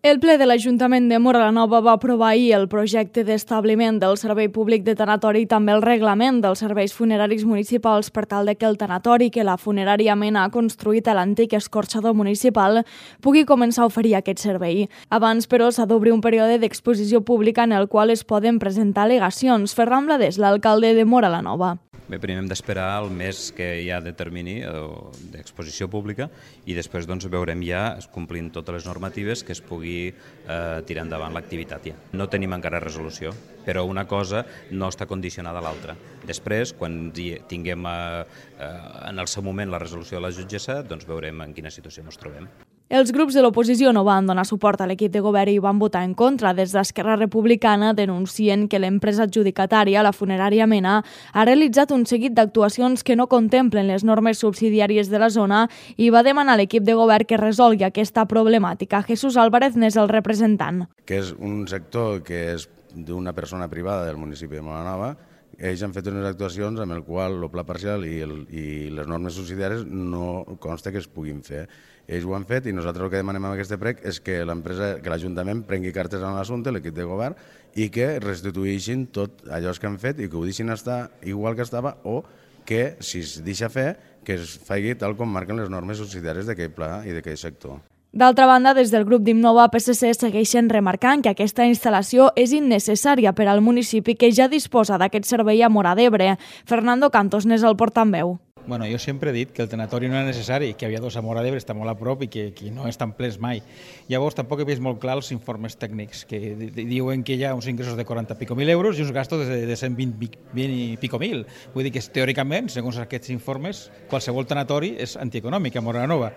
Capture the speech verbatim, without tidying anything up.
El ple de l'Ajuntament de Móra la Nova va aprovar ahir el projecte d'establiment del Servei Públic de Tanatori i també el reglament dels serveis funeraris municipals per tal de que el tanatori que la funerària Mena ha construït a l'antic escorxador municipal pugui començar a oferir aquest servei. Abans, però, s'ha d'obrir un període d'exposició pública en el qual es poden presentar al·legacions. Ferran Blades, l'alcalde de Móra la Nova. Bé, primer hem d'esperar el mes que hi ha de termini d'exposició pública i després doncs, veurem ja, complint totes les normatives, que es pugui eh, tirar endavant l'activitat ja. No tenim encara resolució, però una cosa no està condicionada a l'altra. Després, quan tinguem eh, en el seu moment la resolució de la jutgessa, doncs veurem en quina situació ens trobem. Els grups de l'oposició no van donar suport a l'equip de govern i van votar en contra. Des d'Esquerra Republicana denuncien que l'empresa adjudicatària, la funerària Mena, ha realitzat un seguit d'actuacions que no contemplen les normes subsidiàries de la zona i va demanar a l'equip de govern que resolgui aquesta problemàtica. Jesús Álvarez n'és el representant. Que és un sector que és d'una persona privada del municipi de Móra la Nova. Ells han fet unes actuacions amb el qual el pla parcial i, el, i les normes subsidiàries no consta que es puguin fer. Ells ho han fet i nosaltres el que demanem amb aquest prec és que l'empresa, que l'Ajuntament prengui cartes en l'assumpte, l'equip de govern, i que restitueixin tot allò que han fet i que ho deixin estar igual que estava o que, si es deixa fer, que es faci tal com marquen les normes subsidiàries d'aquest pla i d'aquest sector. D'altra banda, des del grup d'Innova P S C segueixen remarcant que aquesta instal·lació és innecessària per al municipi que ja disposa d'aquest servei a Móra d'Ebre. Fernando Cantos n'és el portaveu. Bueno, jo sempre he dit que el tanatori no era necessari, que havia dos a Móra d'Ebre, està molt a prop i que, que no estan plens mai. Llavors tampoc he vist molt clar els informes tècnics, que diuen que hi ha uns ingressos de quaranta pico mil euros i uns gastos de, de cent vint i pico mil. Vull dir que teòricament, segons aquests informes, qualsevol tanatori és antieconòmic a Móra la Nova.